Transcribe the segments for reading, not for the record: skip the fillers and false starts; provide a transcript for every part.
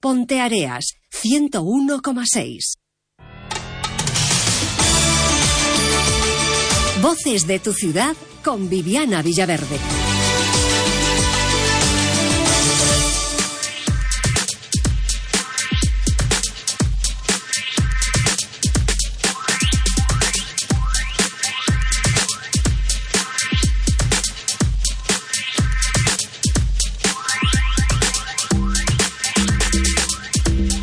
Ponteareas, 101,6. Voces de tu ciudad con Viviana Villaverde.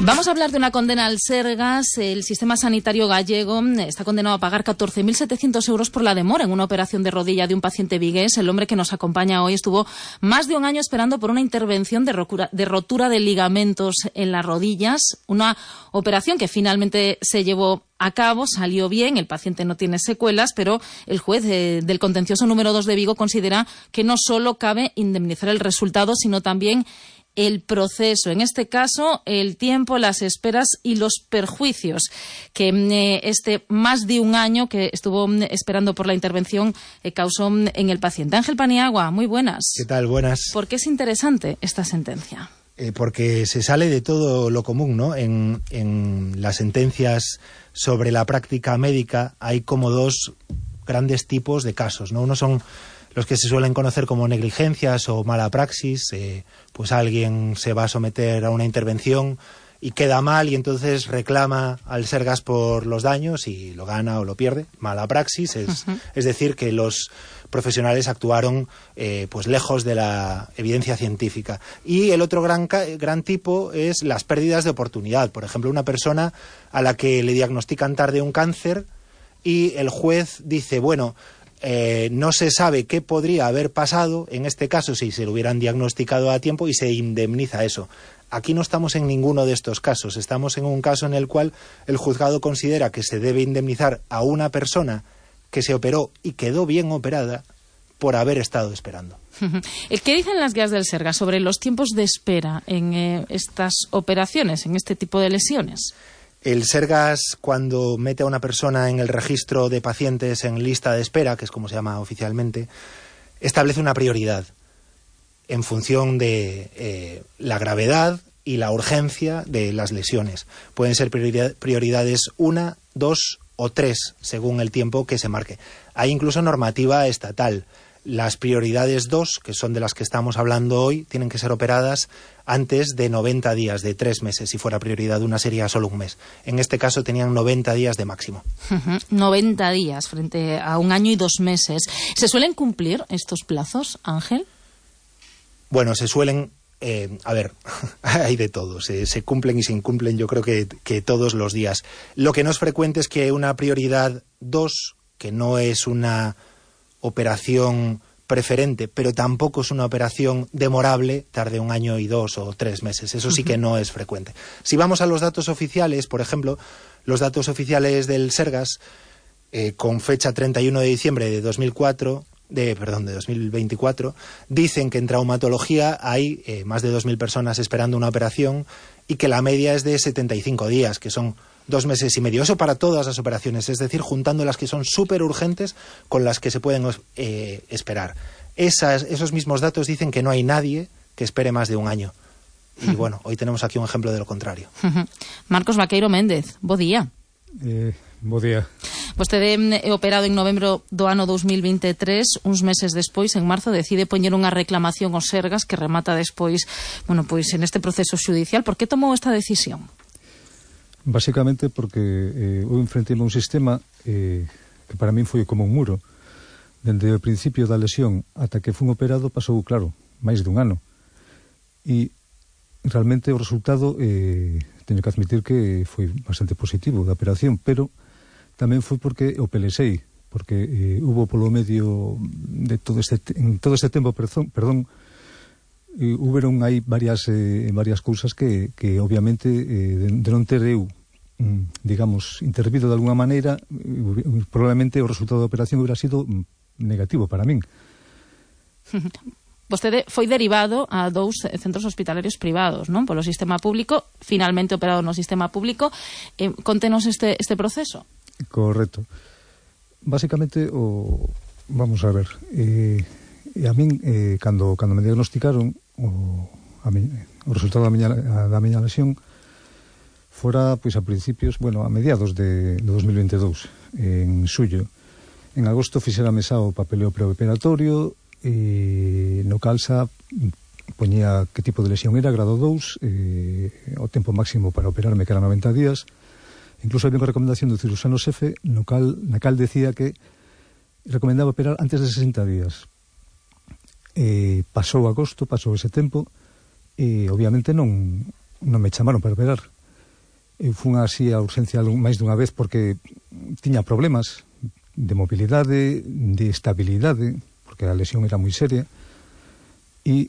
Vamos a hablar de una condena al Sergas. El sistema sanitario gallego está condenado a pagar 14.700 euros por la demora en una operación de rodilla de un paciente vigués. El hombre que nos acompaña hoy estuvo más de un año esperando por una intervención de rotura de ligamentos en las rodillas. Una operación que finalmente se llevó a cabo, salió bien, el paciente no tiene secuelas, pero el juez del contencioso número 2 de Vigo considera que no solo cabe indemnizar el resultado, sino también el proceso, en este caso el tiempo, las esperas y los perjuicios que este más de un año que estuvo esperando por la intervención causó en el paciente. Ángel Paniagua, muy buenas. ¿Qué tal? Buenas. ¿Por qué es interesante esta sentencia? Porque se sale de todo lo común, ¿no? En las sentencias sobre la práctica médica hay como dos grandes tipos de casos, ¿no? Uno son los que se suelen conocer como negligencias o mala praxis, pues alguien se va a someter a una intervención y queda mal y entonces reclama al Sergas por los daños y lo gana o lo pierde. Mala praxis es decir, que los profesionales actuaron pues lejos de la evidencia científica. Y el otro gran tipo es las pérdidas de oportunidad. Por ejemplo, una persona a la que le diagnostican tarde un cáncer y el juez dice, bueno, no se sabe qué podría haber pasado, en este caso si se lo hubieran diagnosticado a tiempo, y se indemniza eso. Aquí no estamos en ninguno de estos casos, estamos en un caso en el cual el juzgado considera que se debe indemnizar a una persona que se operó y quedó bien operada por haber estado esperando. ¿Qué dicen las guías del Sergas sobre los tiempos de espera en estas operaciones, en este tipo de lesiones? El Sergas, cuando mete a una persona en el registro de pacientes en lista de espera, que es como se llama oficialmente, establece una prioridad en función de la gravedad y la urgencia de las lesiones. Pueden ser prioridades 1, 2 o 3, según el tiempo que se marque. Hay incluso normativa estatal. Las prioridades 2, que son de las que estamos hablando hoy, tienen que ser operadas antes de 90 días, de 3 meses. Si fuera prioridad 1 sería solo un mes. En este caso tenían 90 días de máximo. 90 días frente a 1 año y 2 meses. ¿Se suelen cumplir estos plazos, Ángel? Bueno, se suelen... a ver, hay de todo. Se cumplen y se incumplen, yo creo que todos los días. Lo que no es frecuente es que una prioridad 2, que no es una operación preferente, pero tampoco es una operación demorable, tarde 1 año y 2 o 3 meses. Eso sí que no es frecuente. Si vamos a los datos oficiales, por ejemplo, los datos oficiales del Sergas, con fecha 31 de diciembre de 2024, dicen que en traumatología hay más de 2.000 personas esperando una operación y que la media es de 75 días, que son 2 meses y medio. Eso para todas las operaciones, es decir, juntando las que son súper urgentes con las que se pueden esperar. Esos mismos datos dicen que no hay nadie que espere más de 1 año. Y bueno, hoy tenemos aquí un ejemplo de lo contrario. Marcos Vaqueiro Méndez, bo día. Bo día. Vostede operado en novembro do ano 2023, uns meses despois, en marzo, decide poñer unha reclamación aos Sergas que remata despois, bueno, pois en este proceso xudicial. Por que tomou esta decisión? Básicamente porque eu enfrentei un sistema que para min foi como un muro. Dende o principio da lesión ata que fun operado pasou, claro, máis de 1 ano. E realmente o resultado teño que admitir que foi bastante positivo da operación, pero tamén foi porque o pelexei, porque hubo polo medio de todo este tempo, huberon aí varias cousas que obviamente de non ter eu digamos intervido de alguna maneira, probablemente o resultado da operación hubiera sido negativo para min. Vostede foi derivado a 2 centros hospitalarios privados, non? Polo sistema público, finalmente operado no sistema público. Contenos este proceso. Correcto. Básicamente, vamos a ver, a min, cando me diagnosticaron, a o resultado da miña lesión fora pois a principios, a mediados de 2022, en xullo. En agosto fixérame xa o papeleo preoperatorio e no cal xa poñía que tipo de lesión era, grado 2, o tempo máximo para operarme que era 90 días. Incluso había unha recomendación do cirurxano xefe na cal decía que recomendaba operar antes de 60 días. Pasou agosto, pasou ese tempo e obviamente non me chamaron para operar. Eu fun así a urgencia máis dunha vez porque tiña problemas de mobilidade, de estabilidade, porque a lesión era moi seria, e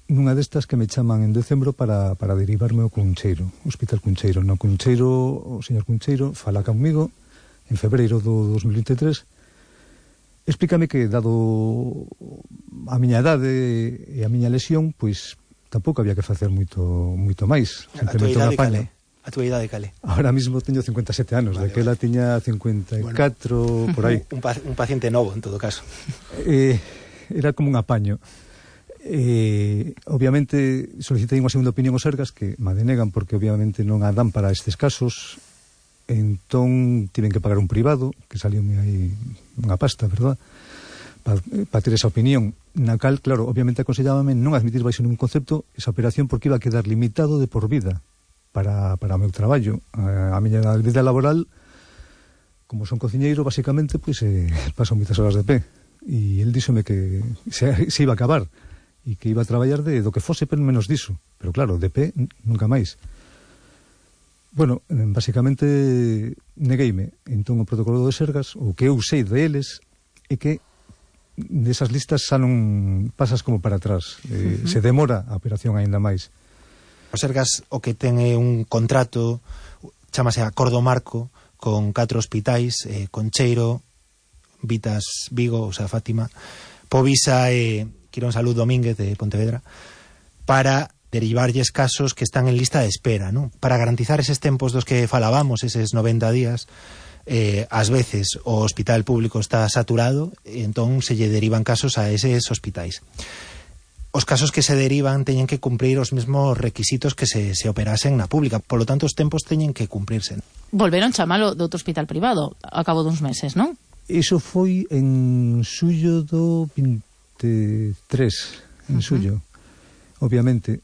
nunha destas que me chaman en decembro para derivarme ao Cuncheiro, Hospital Cuncheiro. No Cuncheiro, o señor Cuncheiro fala comigo en febreiro do 2023, explícame que, dado a miña idade e a miña lesión, pois tampouco había que facer moito máis, simplemente un apaño. A túa idade cale? Ahora mismo teño 57 anos, vale, daquela tiña 54, por aí. Un paciente novo, en todo caso. Era como un apaño. Obviamente solicitei unha segunda opinión aos Sergas que me denegan porque obviamente non a dan para estes casos. Entón tiven que pagar un privado que salióme aí unha pasta, verdad, para ter esa opinión na cal, claro, obviamente aconsellábame non admitir baixo ningún concepto esa operación porque iba a quedar limitado de por vida para o meu traballo. A miña vida laboral, como son cociñeiro, basicamente, pois paso moitas horas de pé e el díxome que se iba a acabar e que iba a traballar do que fose, pero menos diso, pero claro, de pé nunca máis. Bueno, basicamente negueime. Entón o protocolo de Sergas, o que eu sei de eles, é que desas listas xa non pasas como para atrás, se demora a operación aínda máis. O Sergas o que ten é un contrato, chámase Acordo Marco, con 4 hospitais, Concheiro, Vitas Vigo, o sea, Fátima, Povisa e Quirón Salud Domínguez de Pontevedra, para derivarlles casos que están en lista de espera, ¿no? Para garantizar eses tempos dos que falábamos, eses 90 días, ás veces o hospital público está saturado e entón se lle derivan casos a eses hospitais. Os casos que se derivan teñen que cumprir os mesmos requisitos que se operasen na pública, polo tanto os tempos teñen que cumprirse. Volveron chamalo de outro hospital privado a cabo duns meses, non? Iso foi en xullo do 23, en xullo, obviamente.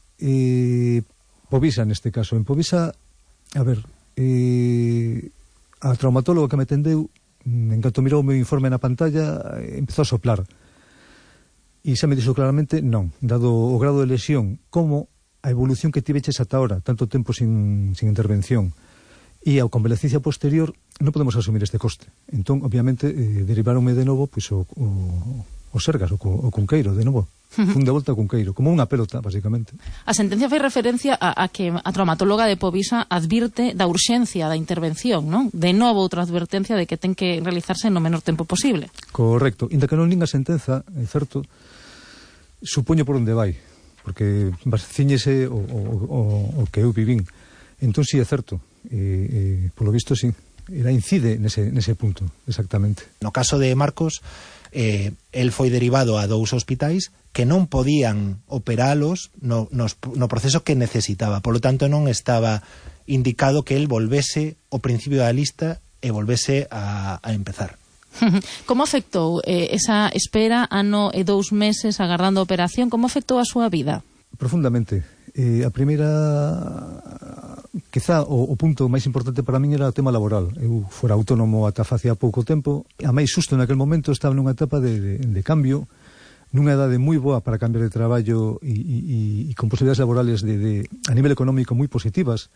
Povisa neste caso. En Povisa, a ver, a traumatóloga que me atendeu, en canto mirou o meu informe na pantalla, empezou a soplar. E xa me dixo claramente, non, dado o grado de lesión, como a evolución que tiveches ata ahora, tanto tempo sin intervención, e a convalecencia posterior, non podemos asumir este coste. Entón, obviamente, derivaronme de novo pois, o Sergas, o Cunqueiro, de novo. Fun de volta ao Cunqueiro, como unha pelota, basicamente. A sentencia fai referencia a que a traumatóloga de Povisa advirte da urxencia da intervención, non? De novo outra advertencia de que ten que realizarse no menor tempo posible. Correcto. Inda que non linga sentenza, é certo, supoño por onde vai, porque ciñese o que eu vivín. Entón, sí, é certo. Polo visto, sí. Ela incide nese punto, exactamente. No caso de Marcos, el foi derivado a 2 hospitais que non podían operalos no proceso que necesitaba. Polo tanto, non estaba indicado que el volvese ao principio da lista e volvese a empezar. Como afectou esa espera, ano e 2 meses agardando a operación, como afectou a súa vida? Profundamente. A primeira, quizá o punto máis importante para min era o tema laboral. Eu fora autónomo ata facía pouco tempo, a máis xusto naquel momento estaba nunha etapa de cambio, nunha edade moi boa para cambiar de traballo e con posibilidades laborales a nivel económico moi positivas,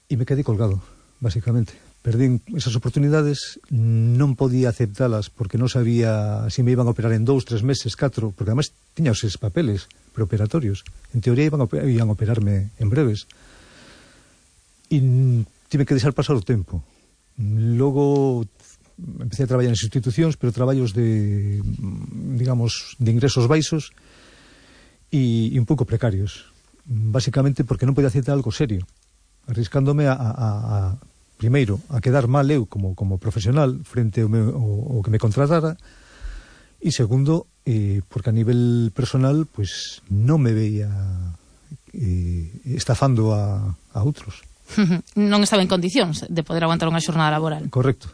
e me quedei colgado, basicamente. Perdín esas oportunidades, non podía aceptalas porque non sabía se me iban a operar en 2, 3 meses, 4, porque además tiña os papeles preoperatorios. En teoría iban a operarme en breves. E tive que deixar pasar o tempo. Logo empecé a traballar en institucións, pero traballos de ingresos baixos e un pouco precarios. Basicamente porque non podía aceptar algo serio, arriscándome primeiro, a quedar mal eu como profesional frente ao que me contratara, e segundo, porque a nivel personal, pois non me veía estafando a outros. Non estaba en condicións de poder aguantar unha xornada laboral. Correcto.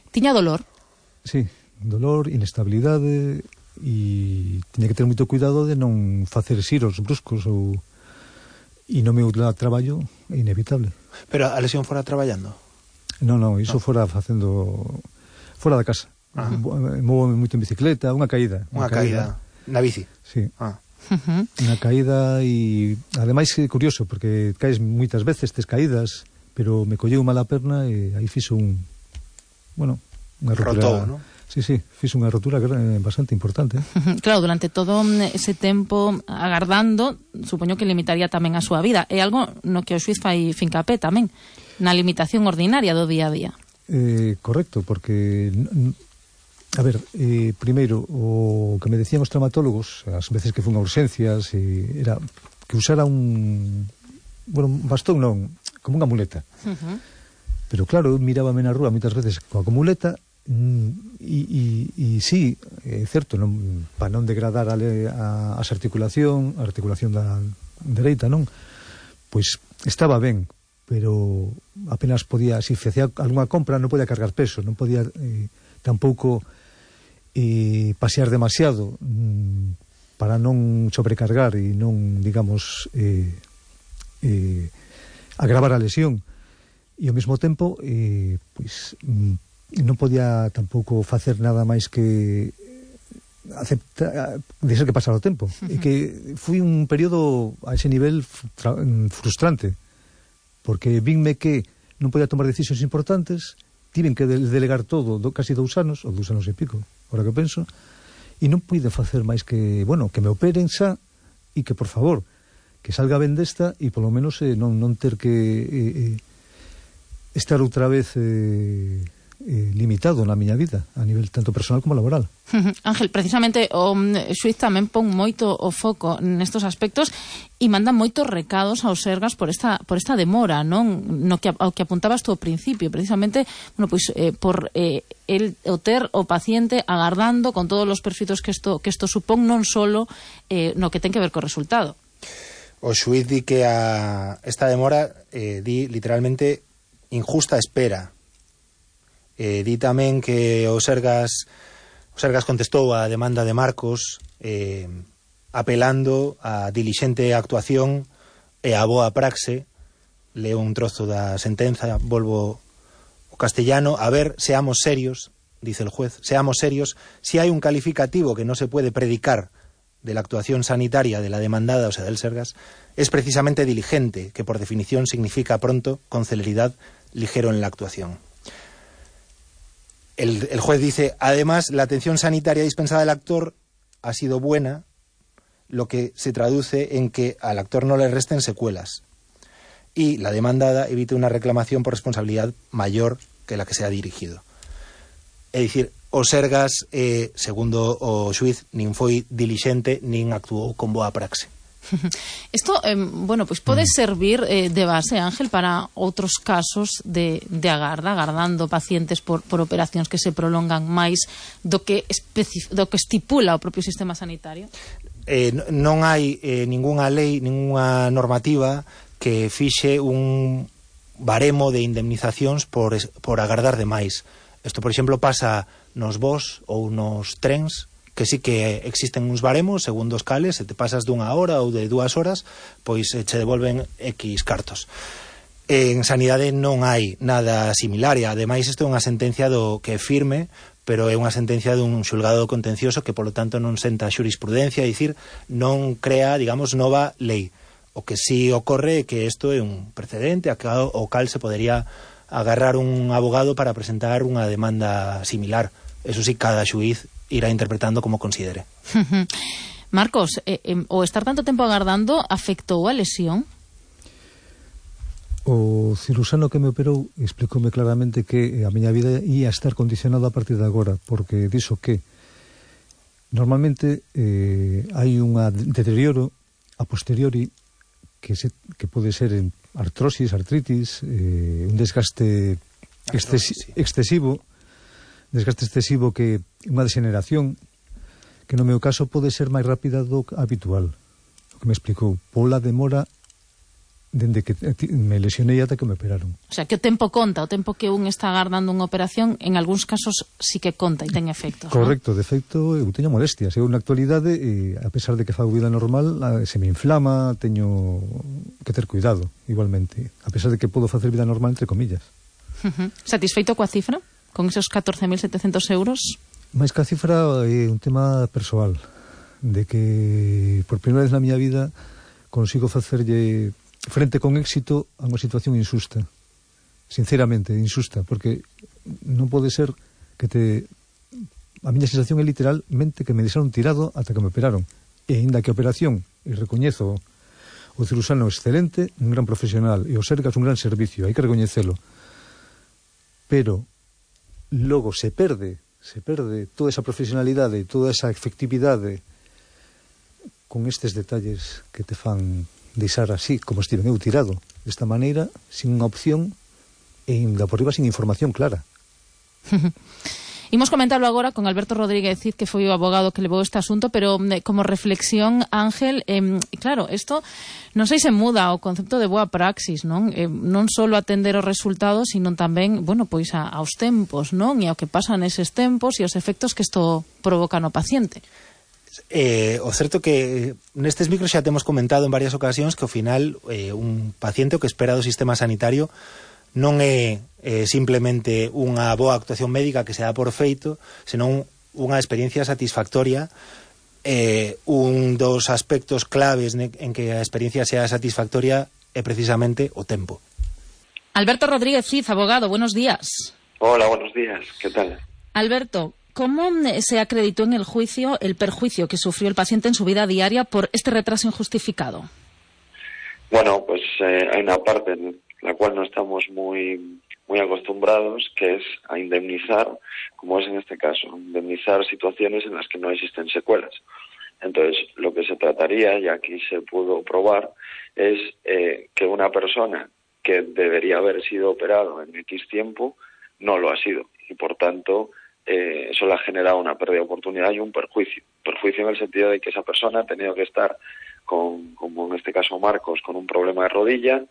Tiña dolor? Sí, dolor, inestabilidade, e tiña que ter moito cuidado de non facer xiros bruscos e no meu traballo é inevitable. Pero a lesión fora traballando? Non, iso fora facendo fora da casa. Móvome moito en bicicleta, unha caída. Unha caída na bici? Sí. Unha caída, e ademais é curioso porque caes moitas veces tes caídas, pero me colleu mal a perna e aí fixo unha rotura. Rotou, non? Sí, fixo unha rotura bastante importante. Claro, durante todo ese tempo agardando, supoño que limitaría tamén a súa vida. É algo no que o xuiz fai fincapé tamén, na limitación ordinaria do día a día. Correcto, porque a ver, primeiro, o que me decían os traumatólogos as veces que fun a urxencias era que usara un bastón non, como unha muleta. Pero claro, eu mirábame na rúa moitas veces coa muleta. E sí, é certo, para non degradar as articulación da dereita, non? Pois estaba ben, pero apenas podía, se facía algunha compra, non podía cargar peso, non podía tampouco pasear demasiado para non sobrecargar e non, digamos, agravar a lesión. E ao mesmo tempo, pois non podía tampouco facer nada máis que aceptar, deixar que pasara o tempo. E que foi un período a ese nivel frustrante, porque vinme que non podía tomar decisións importantes, tiven que delegar todo, casi 2 anos, ou 2 anos e pico, ahora que penso, e non pude facer máis que, que me operen xa, e que, por favor, que salga ben desta, e polo menos non ter que estar outra vez limitado na miña vida a nivel tanto personal como laboral. Ángel, precisamente o xuiz tamén pon moito o foco nestos aspectos e manda moitos recados aos Sergas por esta demora, non? Ao que apuntabas tú ao principio, precisamente, por o ter o paciente agardando con todos os perfitos que isto supón, non solo no que ten que ver co resultado. O xuiz di que esta demora di literalmente injusta espera. Di tamén que o Sergas contestou a demanda de Marcos apelando a dilixente actuación e a boa praxe. Leo un trozo da sentenza, volvo o castellano. A ver, seamos serios, dice el juez, seamos serios, si hay un calificativo que no se puede predicar de la actuación sanitaria de la demandada, o sea, del Sergas, es precisamente diligente, que por definición significa pronto, con celeridad, ligero en la actuación. El juez dice, además, la atención sanitaria dispensada al actor ha sido buena, lo que se traduce en que al actor no le resten secuelas. Y la demandada evite una reclamación por responsabilidad mayor que la que se ha dirigido. É dicir, o Sergas, segundo o xuiz, nin foi dilixente, nin actuou con boa praxe. Isto, pois pode servir de base, Ángel, para outros casos de agardando pacientes por operacións que se prolongan máis do que estipula o propio sistema sanitario? Non hai ningunha lei, ningunha normativa que fixe un baremo de indemnizacións por agardar demais. Isto, por exemplo, pasa nos voos ou nos trens, que sí que existen uns baremos, segundo os cales, se te pasas dunha hora ou de 2 horas, pois che devolven X cartos. En sanidade non hai nada similar, e ademais isto é unha sentencia que é firme, pero é unha sentencia dun xulgado contencioso que, polo tanto, non senta xurisprudencia, é dicir, non crea, digamos, nova lei. O que sí ocorre é que isto é un precedente ao cal se podería agarrar un abogado para presentar unha demanda similar. Eso sí, cada xuiz irá interpretando como considere. Marcos, o estar tanto tempo agardando afectou a lesión? O cirurxano que me operou explicoume claramente que a miña vida ia estar condicionada a partir de agora, porque dixo que normalmente hai un deterioro a posteriori que pode ser en artrosis, artritis, un desgaste excesivo, que unha degeneración que no meu caso pode ser máis rápida do habitual. O que me explicou, pola demora dende que me lesionei ata que me operaron. O sea, que o tempo conta, o tempo que un está agardando unha operación, en algúns casos sí que conta e ten efectos. Correcto, ¿no? De feito, eu teño molestias. Eu na actualidade, a pesar de que fago vida normal, se me inflama, teño que ter cuidado, igualmente. A pesar de que podo facer vida normal, entre comillas. Satisfeito coa cifra? Con esos 14.700 euros? Mais que a cifra é un tema persoal, de que por primeira vez na miña vida consigo facerlle frente con éxito a unha situación injusta, sinceramente injusta, porque non pode ser que a miña sensación é literalmente que me deixaron tirado ata que me operaron, e ainda que a operación, e recoñezo o cirurxano excelente, un gran profesional, e o Sergas un gran servicio, hai que recoñecelo, pero logo se perde toda esa profesionalidade, toda esa efectividade con estes detalles que te fan deixar así, como estiven eu tirado, desta maneira, sin unha opción e ainda por riba sin información clara. Imos comentarlo agora con Alberto Rodríguez Cid, que foi o abogado que levou este asunto, pero como reflexión, Ángel, claro, isto non sei se muda o concepto de boa praxis, non? Non só atender os resultados, sino tamén, bueno, pois aos tempos, non? E ao que pasa neses tempos e os efectos que isto provoca no paciente. O certo que nestes micros xa temos comentado en varias ocasións que ao final un paciente que espera do sistema sanitario non é simplemente unha boa actuación médica que se dá por feito, senón unha experiencia satisfactoria. Un dos aspectos claves en que a experiencia sea satisfactoria é precisamente o tempo. Alberto Rodríguez Cid, abogado, buenos días. Hola, buenos días, ¿qué tal? Alberto, ¿cómo se acreditó en el juicio el perjuicio que sufrió el paciente en su vida diaria por este retraso injustificado? Bueno, pues hay una parte en la cual no estamos muy acostumbrados, que es a indemnizar, como es en este caso, indemnizar situaciones en las que no existen secuelas. Entonces, lo que se trataría, y aquí se pudo probar, es que una persona que debería haber sido operado en X tiempo no lo ha sido, y por tanto eso le ha generado una pérdida de oportunidad y un perjuicio. Perjuicio en el sentido de que esa persona ha tenido que estar como en este caso Marcos, con un problema de rodilla,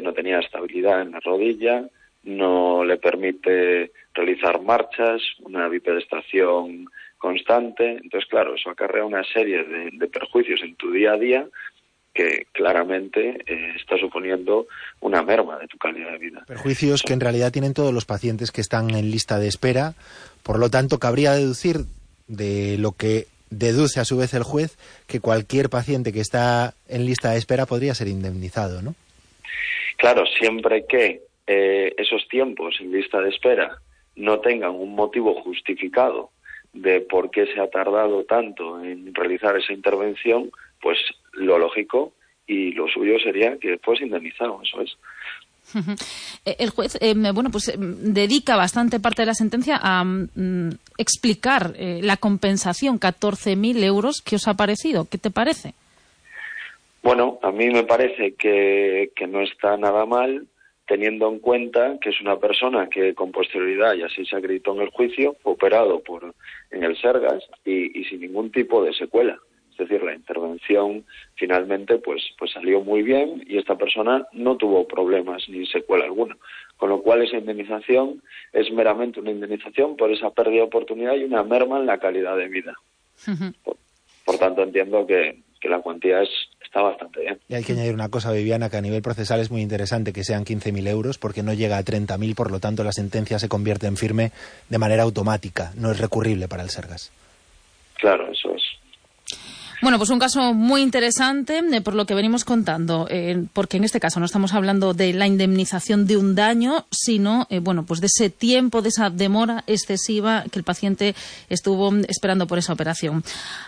no tenía estabilidad en la rodilla, no le permite realizar marchas, una bipedestación constante. Entonces, claro, eso acarrea una serie de perjuicios en tu día a día que claramente está suponiendo una merma de tu calidad de vida. Perjuicios que en realidad tienen todos los pacientes que están en lista de espera. Por lo tanto, cabría deducir de lo que deduce a su vez el juez que cualquier paciente que está en lista de espera podría ser indemnizado, ¿no? Claro, siempre que esos tiempos en lista de espera no tengan un motivo justificado de por qué se ha tardado tanto en realizar esa intervención, pues lo lógico y lo suyo sería que fuese indemnizado, eso es. El juez, dedica bastante parte de la sentencia a explicar la compensación, 14.000 euros, ¿qué os ha parecido? ¿Qué te parece? Bueno, a mí me parece que no está nada mal, teniendo en cuenta que es una persona que con posterioridad, y así se acreditó en el juicio, fue operado en el Sergas y sin ningún tipo de secuela. Es decir, la intervención finalmente pues salió muy bien y esta persona no tuvo problemas ni secuela alguna. Con lo cual esa indemnización es meramente una indemnización por esa pérdida de oportunidad y una merma en la calidad de vida. Por tanto, entiendo que la cuantía está bastante bien. Y hay que añadir una cosa, Viviana, que a nivel procesal es muy interesante que sean 15.000 euros porque no llega a 30.000, por lo tanto la sentencia se convierte en firme de manera automática, no es recurrible para el Sergas. Claro, eso es. Bueno, pues un caso muy interesante por lo que venimos contando, porque en este caso no estamos hablando de la indemnización de un daño, sino pues de ese tiempo, de esa demora excesiva que el paciente estuvo esperando por esa operación.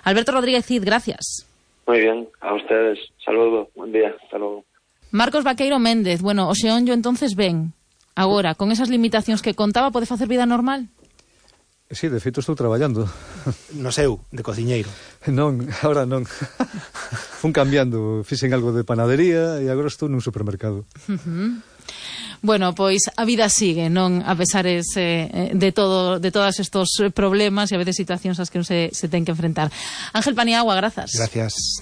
Alberto Rodríguez Cid, gracias. Muy bien, a ustedes. Saludos, buen día, hasta luego. Marcos Vaqueiro Méndez, bueno, o Xeonllo entonces ven, agora, con esas limitacións que contaba, pode facer vida normal? Sí, de feito estou traballando. No seu, de cociñeiro. Non, ahora non. Fun cambiando, fixen algo de panadería e agora estou nun supermercado. Bueno, pois a vida sigue, non? A pesar de todos estos problemas e a veces situacións ás que non se ten que enfrentar. Ángel Paniagua, grazas. Gracias.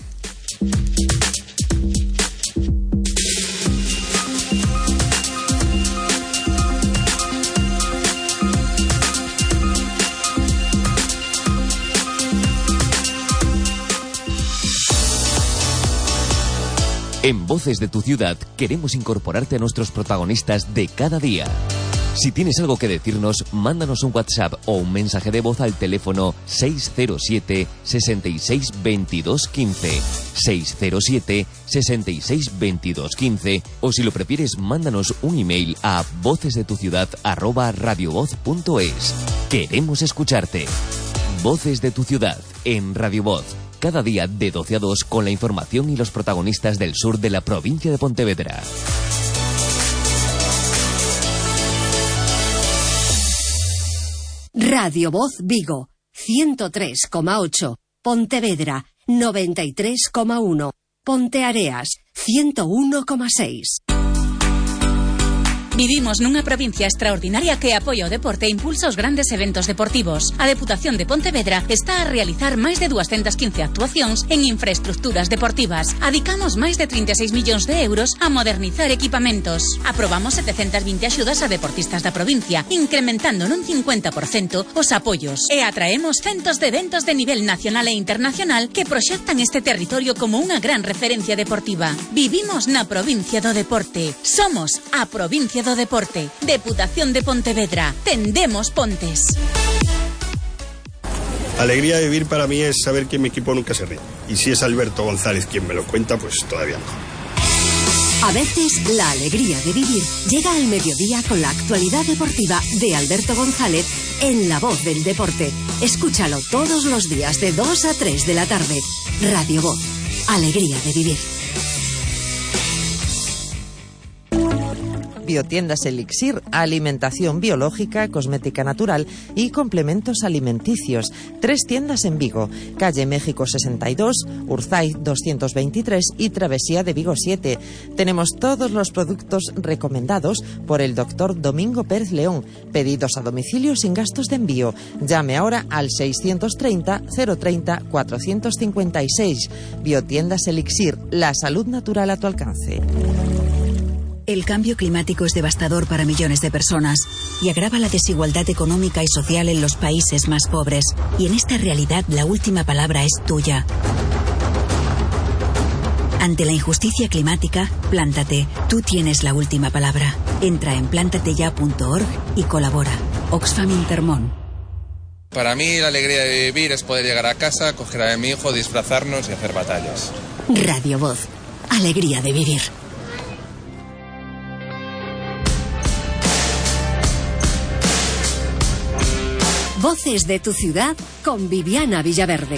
En Voces de tu Ciudad queremos incorporarte a nuestros protagonistas de cada día. Si tienes algo que decirnos, mándanos un WhatsApp o un mensaje de voz al teléfono 607 66 22 15, 607 66 22 15, o si lo prefieres, mándanos un email a vocesdetuciudad@radiovoz.es. Queremos escucharte. Voces de tu Ciudad en Radio Voz. Cada día de 12 a 2 con la información y los protagonistas del sur de la provincia de Pontevedra. Radio Voz Vigo, 103,8. Pontevedra, 93,1. Ponteareas, 101,6. Vivimos nunha provincia extraordinaria que apoia o deporte e impulsa os grandes eventos deportivos. A Deputación de Pontevedra está a realizar máis de 215 actuacións en infraestructuras deportivas. Adicamos máis de 36 millóns de euros a modernizar equipamentos. Aprobamos 720 axudas a deportistas da provincia, incrementando nun 50% os apoios. E atraemos centos de eventos de nivel nacional e internacional que proxectan este territorio como unha gran referencia deportiva. Vivimos na provincia do deporte. Somos a provincia do deporte. Deputación de Pontevedra. Tendemos pontes. Alegría de vivir para mí es saber que mi equipo nunca se rinde. Y si es Alberto González quien me lo cuenta, pues todavía mejor. A veces, la alegría de vivir llega al mediodía con la actualidad deportiva de Alberto González en La Voz del Deporte. Escúchalo todos los días de 2 a 3 de la tarde. Radio Voz. Alegría de vivir. Biotiendas Elixir, alimentación biológica, cosmética natural y complementos alimenticios. 3 tiendas en Vigo, calle México 62, Urzay 223 y Travesía de Vigo 7. Tenemos todos los productos recomendados por el doctor Domingo Pérez León. Pedidos a domicilio sin gastos de envío. Llame ahora al 630 030 456. Biotiendas Elixir, la salud natural a tu alcance. El cambio climático es devastador para millones de personas y agrava la desigualdad económica y social en los países más pobres. Y en esta realidad la última palabra es tuya. Ante la injusticia climática, plántate. Tú tienes la última palabra. Entra en plantateya.org y colabora. Oxfam Intermón. Para mí la alegría de vivir es poder llegar a casa, coger a mi hijo, disfrazarnos y hacer batallas. Radio Voz. Alegría de vivir. Voces de tu Ciudad con Viviana Villaverde.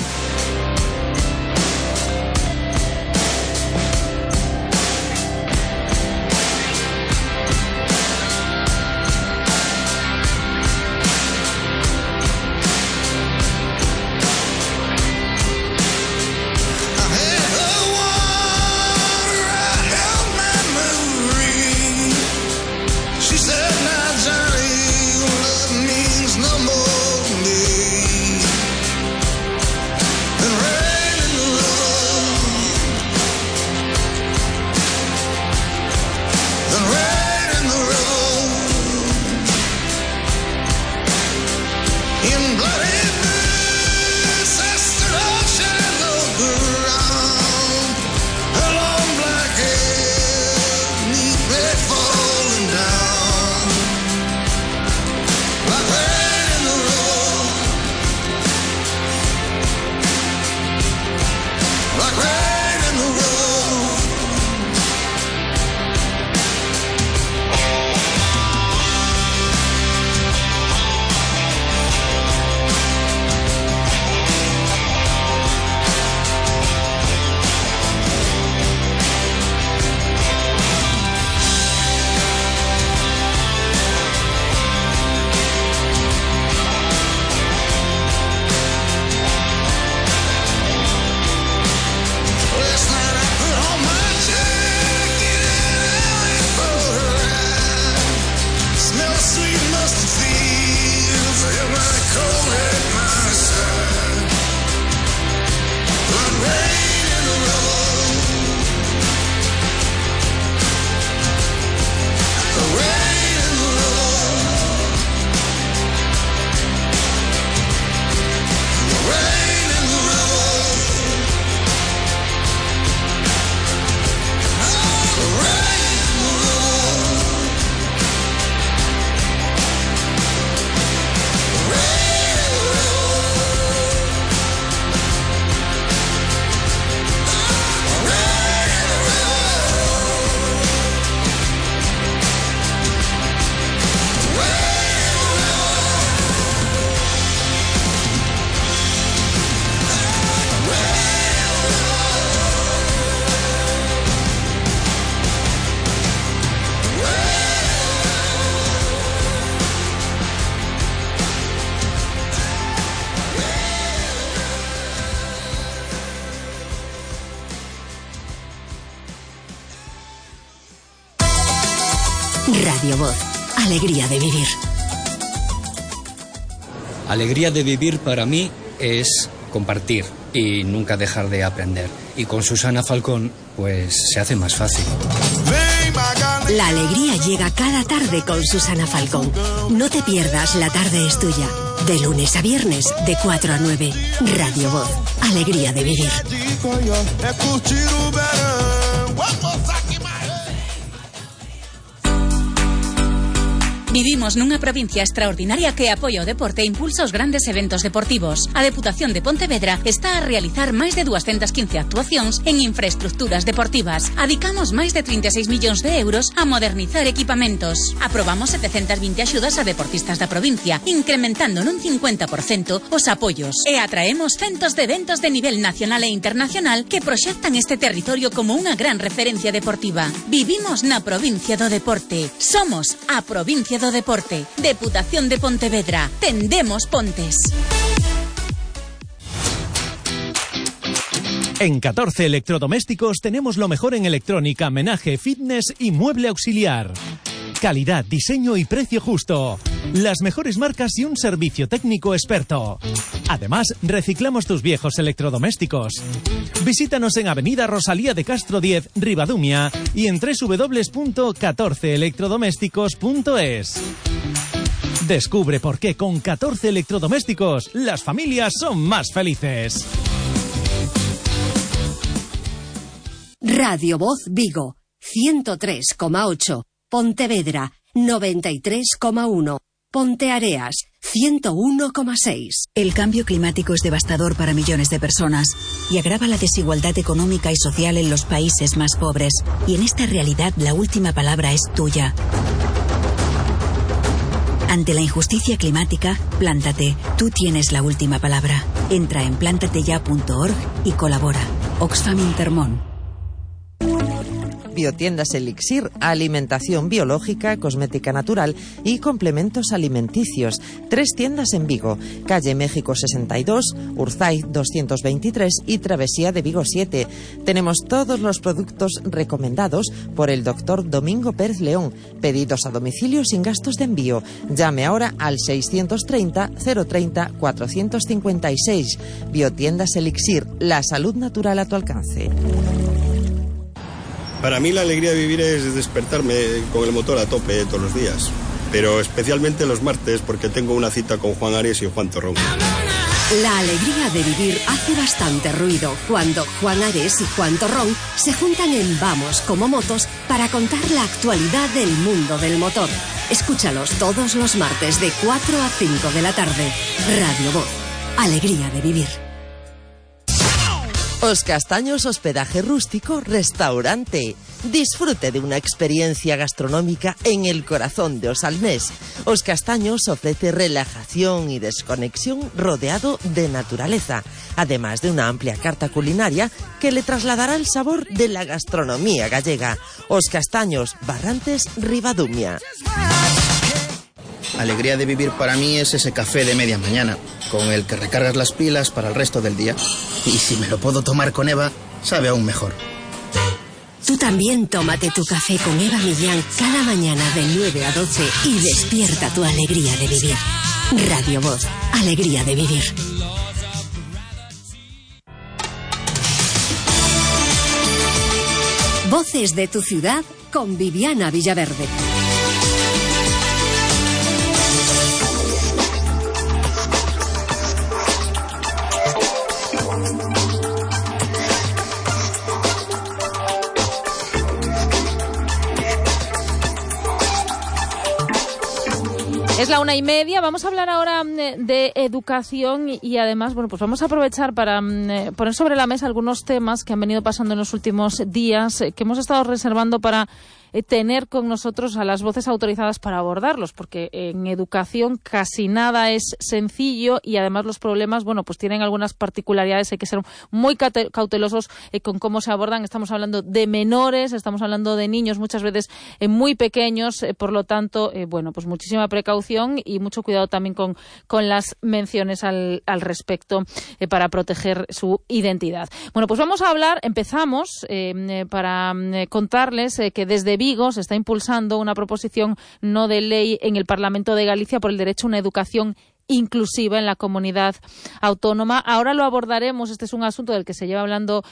Radio Voz. Alegría de vivir. Alegría de vivir para mí es compartir y nunca dejar de aprender. Y con Susana Falcón, pues se hace más fácil. La alegría llega cada tarde con Susana Falcón. No te pierdas La tarde es tuya. De lunes a viernes, de 4 a 9. Radio Voz. Alegría de vivir. Vivimos nunha provincia extraordinaria que apoia o deporte e impulsa os grandes eventos deportivos. A Deputación de Pontevedra está a realizar máis de 215 actuacións en infraestructuras deportivas. Adicamos máis de 36 millóns de euros a modernizar equipamentos. Aprobamos 720 axudas a deportistas da provincia, incrementando nun 50% os apoios. E atraemos centos de eventos de nivel nacional e internacional que proxectan este territorio como unha gran referencia deportiva. Vivimos na provincia do deporte. Somos a provincia do deporte. Deputación de Pontevedra. Tendemos pontes. En 14 Electrodomésticos tenemos lo mejor en electrónica, menaje, fitness y mueble auxiliar. Calidad, diseño y precio justo. Las mejores marcas y un servicio técnico experto. Además, reciclamos tus viejos electrodomésticos. Visítanos en Avenida Rosalía de Castro 10, Ribadumia, y en www.14electrodomésticos.es. Descubre por qué con 14 electrodomésticos las familias son más felices. Radio Voz Vigo, 103,8. Pontevedra, 93,1. Ponteareas, 101,6. El cambio climático es devastador para millones de personas y agrava la desigualdad económica y social en los países más pobres. Y en esta realidad la última palabra es tuya. Ante la injusticia climática, plántate. Tú tienes la última palabra. Entra en plantateya.org y colabora. Oxfam Intermón. Biotiendas Elixir, alimentación biológica, cosmética natural y complementos alimenticios. 3 tiendas en Vigo, calle México 62, Urzaiz 223 y Travesía de Vigo 7. Tenemos todos los productos recomendados por el doctor Domingo Pérez León. Pedidos a domicilio sin gastos de envío. Llame ahora al 630 030 456. Biotiendas Elixir, la salud natural a tu alcance. Para mí la alegría de vivir es despertarme con el motor a tope todos los días, pero especialmente los martes porque tengo una cita con Juan Ares y Juan Torrón. La alegría de vivir hace bastante ruido cuando Juan Ares y Juan Torrón se juntan en Vamos como Motos para contar la actualidad del mundo del motor. Escúchalos todos los martes de 4 a 5 de la tarde. Radio Voz. Alegría de vivir. Os Castaños Hospedaje Rústico Restaurante. Disfrute de una experiencia gastronómica en el corazón de Os Almés. Os Castaños ofrece relajación y desconexión rodeado de naturaleza, además de una amplia carta culinaria que le trasladará el sabor de la gastronomía gallega. Os Castaños, Barrantes, Ribadumia. Alegría de vivir para mí es ese café de media mañana, con el que recargas las pilas para el resto del día. Y si me lo puedo tomar con Eva, sabe aún mejor. Tú también tómate tu café con Eva Millán cada mañana de 9 a 12 y despierta tu alegría de vivir. Radio Voz, alegría de vivir. Voces de tu ciudad con Viviana Villaverde. Es la 1:30, vamos a hablar ahora de educación y además, bueno, pues vamos a aprovechar para poner sobre la mesa algunos temas que han venido pasando en los últimos días, que hemos estado reservando para tener con nosotros a las voces autorizadas para abordarlos, porque en educación casi nada es sencillo y además los problemas, bueno, pues tienen algunas particularidades, hay que ser muy cautelosos con cómo se abordan. Estamos hablando de menores, estamos hablando de niños muchas veces muy pequeños, por lo tanto, bueno, pues muchísima precaución y mucho cuidado también con las menciones al respecto para proteger su identidad. Bueno, pues vamos a hablar, empezamos para contarles que desde Vigo se está impulsando una proposición no de ley en el Parlamento de Galicia por el derecho a una educación inclusiva en la comunidad autónoma. Ahora lo abordaremos, este es un asunto del que se lleva hablando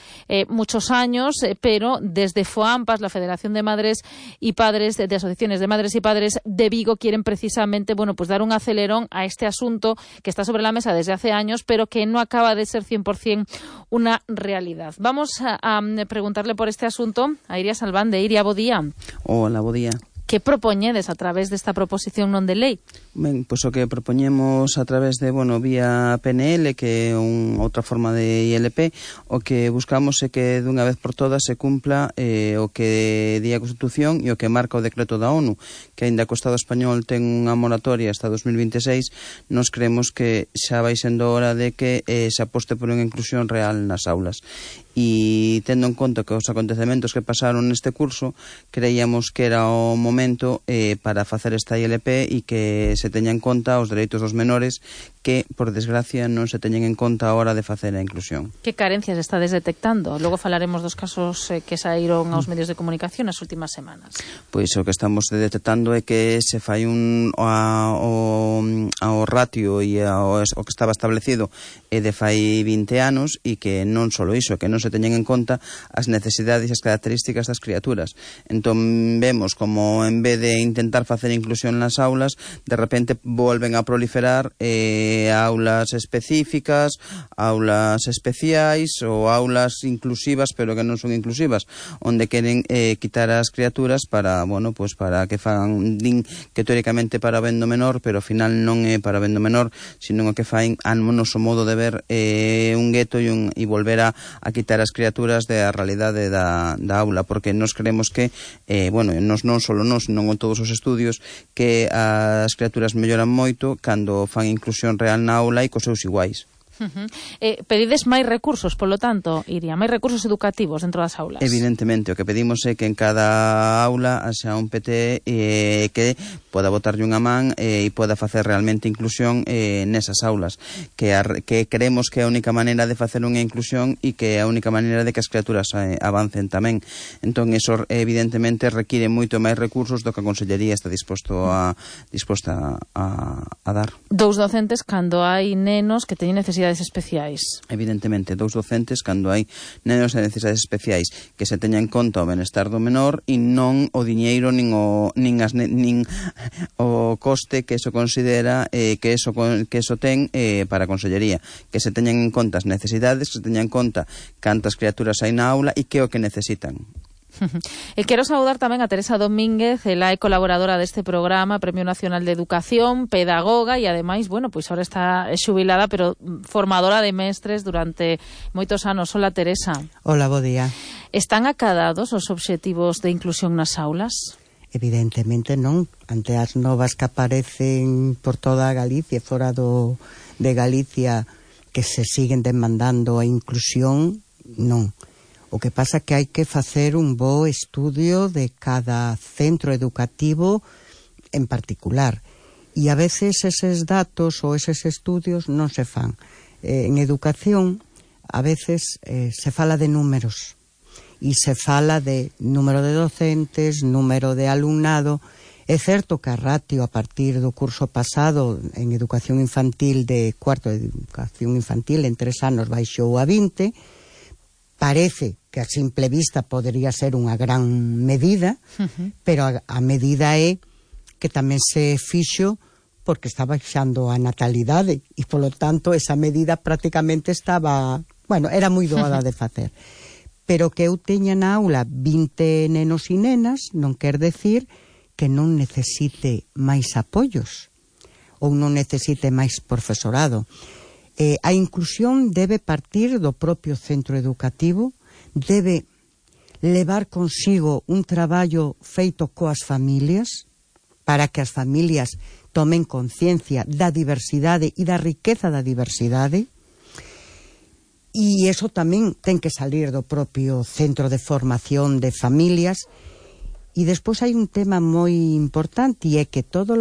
muchos años, pero desde FOAMPAS, la Federación de Madres y Padres, de Asociaciones de Madres y Padres de Vigo, quieren precisamente, pues dar un acelerón a este asunto que está sobre la mesa desde hace años, pero que no acaba de ser 100% una realidad. Vamos a preguntarle por este asunto a Iria Salvande. Iria, bo día. Hola, bo día. Que propoñedes a través desta proposición non de lei? Ben, pois o que propoñemos a través de, vía PNL, que é outra forma de ILP, o que buscamos é que dunha vez por todas se cumpla o que di a Constitución e o que marca o decreto da ONU, que aínda que o Estado español ten unha moratoria hasta 2026, nos creemos que xa vai sendo hora de que se aposte por unha inclusión real nas aulas. E tendo en conta que os acontecementos que pasaron neste curso, creíamos que era o momento para facer esta ILP e que se teña en conta os dereitos dos menores que, por desgracia, non se teñen en conta a hora de facer a inclusión. Que carencias estades detectando? Logo falaremos dos casos que saíron aos medios de comunicación nas últimas semanas. Pois o que estamos detectando é que se fai ao ratio e o que estaba establecido de fai 20 anos e que non só iso, que non se teñen en conta as necesidades e as características das criaturas. Entón vemos como en vez de intentar facer inclusión nas aulas, de repente volven a proliferar aulas específicas, aulas especiais ou aulas inclusivas pero que non son inclusivas, onde queren quitar as criaturas para, para que fan, din que teóricamente para ben do menor, pero ao final non é para ben do menor, sino o que fan a noso modo de ver un gueto e volver a quitar as criaturas da realidade da aula, porque nos creemos que non só nós, senón en todos os estudios, que as criaturas melloran moito cando fan inclusión real na aula e cos seus iguais. Pedides máis recursos, polo tanto, Iria, máis recursos educativos dentro das aulas? Evidentemente, o que pedimos é que en cada aula haxa un PT que poda botarlle unha man e poda facer realmente inclusión nesas aulas, que creemos que é a única maneira de facer unha inclusión e que é a única maneira de que as criaturas avancen tamén. Entón, eso evidentemente require moito máis recursos do que a Consellería está disposta a dar. Dous docentes cando hai nenos que teñen necesidades especiais. Evidentemente, dous docentes cando hai nenos de necesidades especiais, que se teña en conta o benestar do menor e non o diñeiro nin o coste que eso considera que eso ten para a Consellería, que se teñan en conta as necesidades, que se teñan en conta cantas criaturas hai na aula e que o que necesitan. E quero saudar tamén a Teresa Domínguez, ela é colaboradora deste programa, Premio Nacional de Educación, pedagoga e ademais, ahora está xubilada, pero formadora de mestres durante moitos anos. Hola, Teresa. Hola, bo día. Están acadados os obxectivos de inclusión nas aulas? Evidentemente non. Ante as novas que aparecen por toda Galicia, fora de Galicia, que se siguen demandando a inclusión, non. O que pasa é que hai que facer un bo estudio de cada centro educativo en particular. E a veces eses datos ou eses estudios non se fan. En educación, a veces se fala de números. E se fala de número de docentes, número de alumnado. É certo que a ratio a partir do curso pasado en educación infantil de cuarto de educación infantil en 3 anos baixou a 20. Parece que a simple vista podería ser unha gran medida, pero a medida é que tamén se fixo porque está baixando a natalidade e, polo tanto, esa medida prácticamente estaba... era moi doada de facer. Pero que eu teña na aula 20 nenos e nenas non quer decir que non necesite máis apoios ou non necesite máis profesorado. A inclusión debe partir do propio centro educativo, debe levar consigo un traballo feito coas familias, para que as familias tomen conciencia da diversidade e da riqueza da diversidade, e iso tamén ten que salir do propio centro de formación de familias. E despois hai un tema moi importante, e é que toda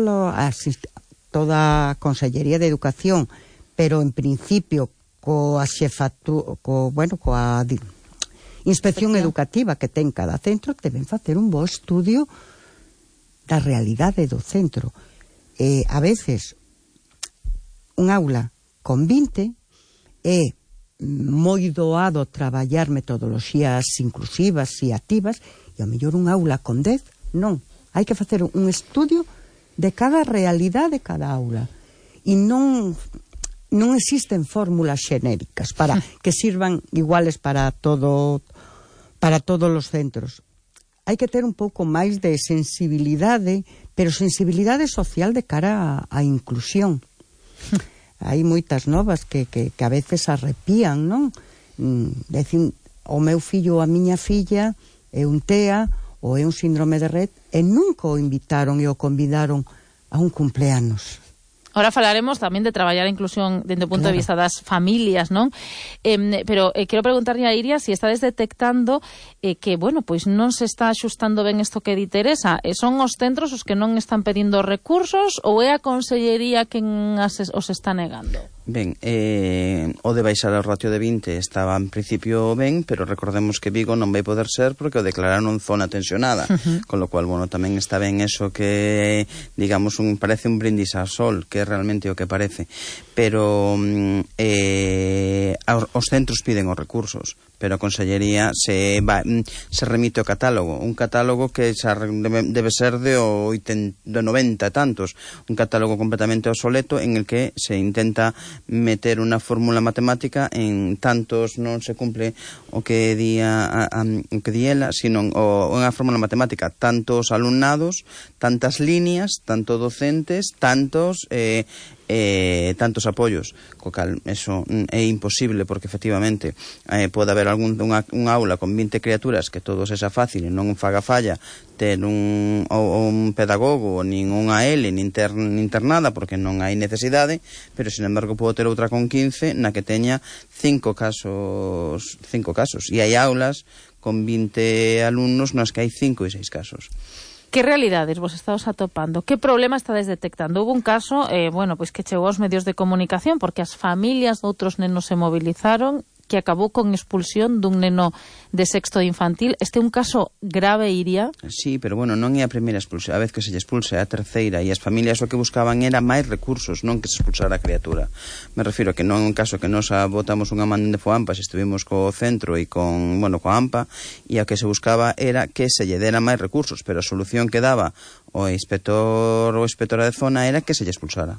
a Consellería de Educación, pero en principio coa inspección educativa que ten cada centro, deben facer un bo estudio da realidade do centro. A veces, un aula con 20 é moi doado traballar metodoloxías inclusivas e activas, e ao mellor un aula con 10, non. Hai que facer un estudio de cada realidade de cada aula. E non existen fórmulas xenéricas para que sirvan iguales para todos os centros. Hai que ter un pouco máis de sensibilidade, pero sensibilidade social de cara á inclusión. Hai moitas novas que a veces arrepían, non? Decín, o meu fillo ou a miña filla é un TEA ou é un síndrome de Rett e nunca o invitaron e o convidaron a un cumpleanos. Ahora falaremos tamén de traballar a inclusión dende o punto de vista das familias, non? Pero quero preguntarlle a Iria se estades detectando que, bueno, pois non se está axustando ben isto que di Teresa. Son os centros os que non están pedindo recursos ou é a Consellería quen os está negando? Ben, o de baixar o ratio de 20 estaba en principio ben, pero recordemos que Vigo non vai poder ser porque o declararon zona tensionada, con lo cual, bueno, tamén está ben eso que, digamos, parece un brindis ao sol, que é realmente o que parece, pero os centros piden os recursos, pero a Consellería se remite ao catálogo, un catálogo que xa debe ser de 90 e tantos, un catálogo completamente obsoleto en el que se intenta meter unha fórmula matemática en tantos, non se cumple o que di ela, sino unha fórmula matemática, tantos alumnados, tantas líneas, tanto docentes, tantos apoios, co cal eso é imposible porque efectivamente pode haber unha aula con 20 criaturas que todo sexa fácil e non faga falla ter un pedagogo nin unha L nin nada porque non hai necesidade, pero sin embargo pode ter outra con 15 na que teña 5 casos e hai aulas con 20 alumnos nas que hai 5 e 6 casos. Que realidades vos estades atopando? Que problema estades detectando? Houve un caso, pois que chegou aos medios de comunicación porque as familias de outros nenos se movilizaron, que acabou con expulsión dun neno de sexto de infantil. Este é un caso grave, Iria? Sí, pero bueno, non é a primeira expulsión, a vez que se lle expulse, é a terceira, e as familias o que buscaban era máis recursos, non que se expulsara a criatura. Me refiro a que non é un caso que nos botamos unha man de FOAMPA, se estuvimos co centro e coa AMPA, e a que se buscaba era que se lle dera máis recursos, pero a solución que daba o inspector ou inspectora de zona era que se lle expulsara.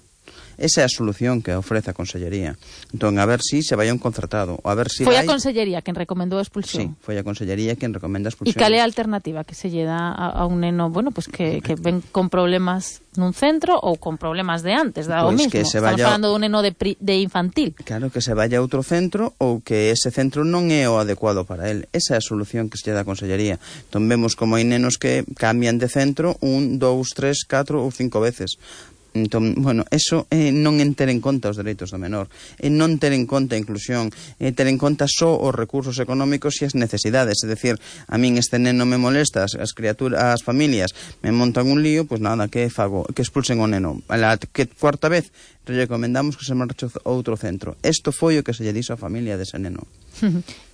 Esa é a solución que ofrece a Consellería. Entón, a ver si se vai un concertado. A ver si foi a Consellería quen recomendou a expulsión? Sí, foi a Consellería quen recomenda a expulsión. E cal é a alternativa que se lle dá a un neno, que ven con problemas nun centro ou con problemas de antes, o mismo? Estamos falando dun neno de infantil. Claro, que se vaya a outro centro ou que ese centro non é o adecuado para él. Esa é a solución que se lle dá a Consellería. Entón, vemos como hai nenos que cambian de centro 1, 2, 3, 4 ou 5 veces. Entón, bueno, eso non en ter en conta os dereitos do menor, non ter en conta a inclusión, ter en conta só os recursos económicos e as necesidades. É dicir, a min este neno me molesta, as familias me montan un lío, pois nada, que fago? Que expulsen o neno. A que cuarta vez recomendamos que se marche a outro centro. Isto foi o que se lle dixo á familia dese neno.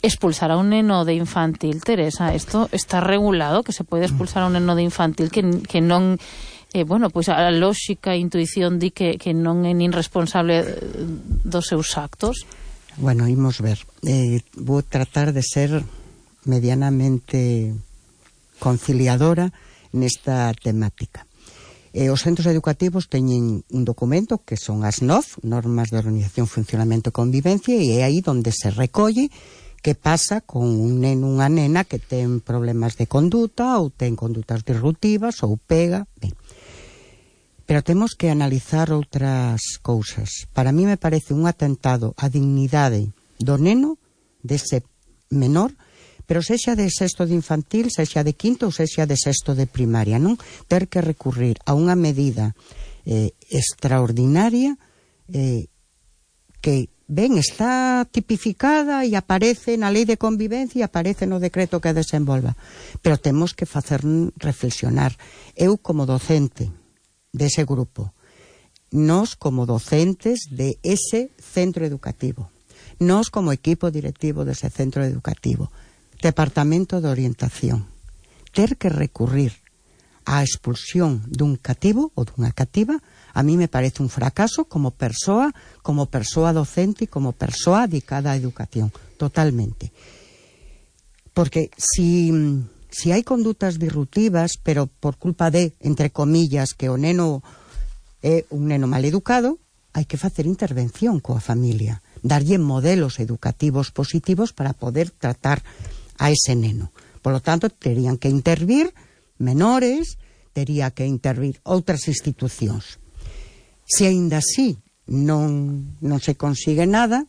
Expulsar a un neno de infantil, Teresa, isto está regulado, que se pode expulsar a un neno de infantil que non... pois a lóxica e intuición di que non é nin responsable dos seus actos. Bueno, imos ver. Vou tratar de ser medianamente conciliadora nesta temática. Os centros educativos teñen un documento que son as NOF, Normas de Organización, Funcionamento e Convivencia, e é aí onde se recolle que pasa con un neno, unha nena que ten problemas de conduta ou ten condutas disruptivas ou pega, ben. Pero temos que analizar outras cousas. Para mí me parece un atentado á dignidade do neno, dese menor, pero sexa de sexto de infantil, sexa de quinto ou sexa de sexto de primaria, non? Ter que recurrir a unha medida extraordinaria que, ben, está tipificada e aparece na Lei de Convivencia e aparece no decreto que desenvolva. Pero temos que facer reflexionar. Eu, como docente dese grupo, nós como docentes de ese centro educativo, nós como equipo directivo dese centro educativo, Departamento de Orientación, ter que recurrir á expulsión dun cativo ou dunha cativa, a mí me parece un fracaso como persoa docente e como persoa dedicada á educación, totalmente. Porque si hai condutas disruptivas, pero por culpa de, entre comillas, que o neno é un neno mal educado, hai que facer intervención coa familia, darlle modelos educativos positivos para poder tratar a ese neno. Por lo tanto, terían que intervir menores, tería que intervir outras institucións. Se aínda así non se consigue nada,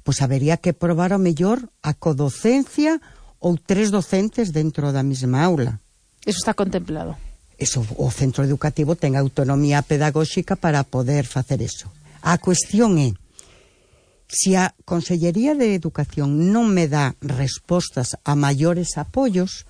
pois habería que probar ao mellor a codocencia ou 3 docentes dentro da mesma aula. Eso está contemplado. Eso, o centro educativo ten autonomía pedagóxica para poder facer eso. A cuestión é, se a Consellería de Educación non me dá respostas a maiores apoios,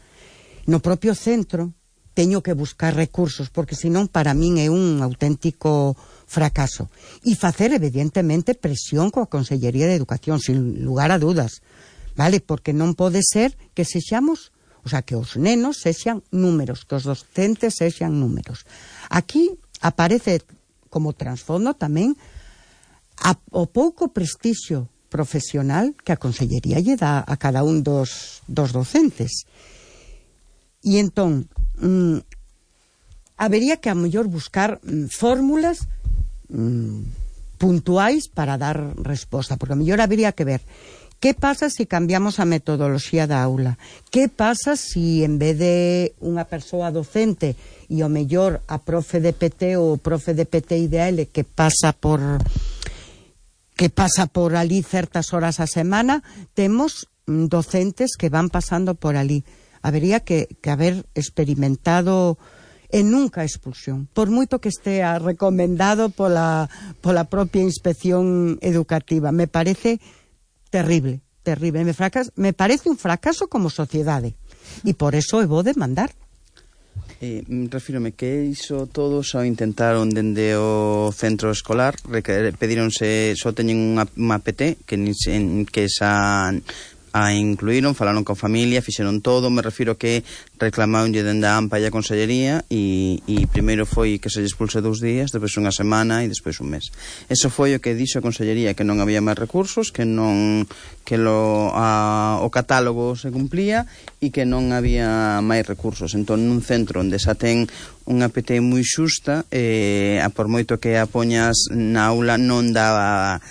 no propio centro teño que buscar recursos, porque senón para min é un auténtico fracaso. E facer, evidentemente, presión coa Consellería de Educación, sin lugar a dudas, vale? Porque non pode ser que sexamos, o sea, que os nenos sexan números, que os docentes sexan números. Aquí aparece como trasfondo tamén o pouco prestixio profesional que a Consellería lle dá a cada un dos docentes. E entón, habería que a mellor buscar fórmulas puntuais para dar resposta, porque a mellor habería que ver que pasa se cambiamos a metodoloxía da aula, que pasa se en vez de unha persoa docente e o mellor a profe de PT ou profe de PT IDL que pasa por ali certas horas a semana, temos docentes que van pasando por ali. Habería que haber experimentado e nunca expulsión, por moito que estea recomendado pola propia inspección educativa. Me parece terrible. Me parece un fracaso como sociedade e por eso eu vou demandar. Refírome que iso todos ao intentaron dende o centro escolar, pedíronse, só teñen unha PT que esa a incluíron, falaron con familia, fixeron todo, me refiro que reclamaronlle dende a AMPA e a Consellería e primeiro foi que se lle expulse 2 días, despois unha semana e despois un mes. Eso foi o que dixo a Consellería, que non había máis recursos, que o catálogo se cumplía e que non había máis recursos. Entón, nun centro onde xa ten unha PT moi xusta, por moito que a poñas na aula non daba,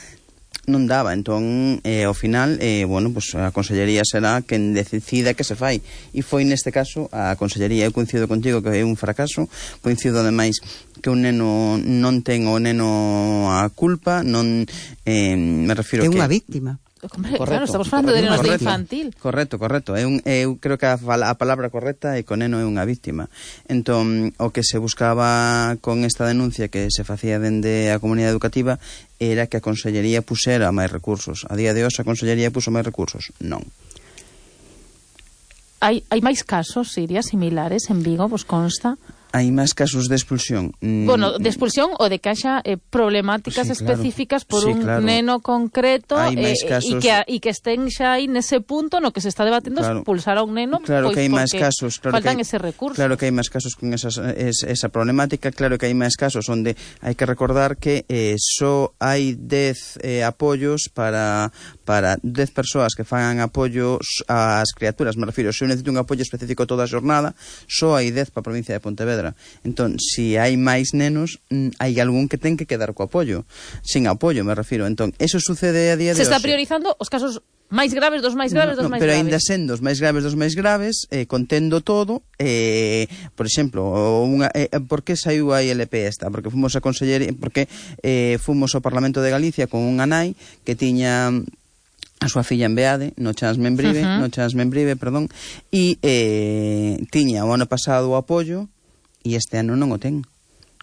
entón ao final pues a Consellería será quen decida que se fai, e foi neste caso a Consellería. Eu coincido contigo que é un fracaso, coincido ademais que un neno non ten o neno a culpa, non me refiro que é unha víctima. Correcto, claro, estamos falando de nenos de infantil. Correcto. Eu creo que a palabra correcta é que o neno é unha víctima. Entón, o que se buscaba con esta denuncia que se facía dende a comunidade educativa era que a Consellería pusera máis recursos. A día de hoxe a Consellería puso máis recursos? Non. Hai máis casos, Iria, similares en Vigo, vos consta? Hai máis casos de expulsión. Bueno, de expulsión ou de que haxa problemáticas específicas por un neno concreto e que estén xa aí nese punto no que se está debatendo expulsar a un neno, claro, pois que hai máis casos, faltan ese recurso. Claro que hai máis casos con esa problemática, claro que hai máis casos onde hai que recordar que só hai 10 apoios para 10 persoas que fagan apoios ás criaturas, me refiro, se eu necesito un apoio específico toda a jornada, só hai 10 para a provincia de Pontevedra. Entón, se hai máis nenos, hai algún que ten que quedar co apoio. Sin apoio, me refiro. Entón, eso sucede a día de hoxe. Se está priorizando os casos máis graves dos máis graves dos máis pero graves. Pero ainda sendo os máis graves dos máis graves, contendo todo, por exemplo, por que saiu a ILP esta? Porque fomos a Consellería, porque fomos ao Parlamento de Galicia con unha nai que tiña a súa filla en Beade, no Chans Membrive, e tiña o ano pasado o apoio e este ano non o ten.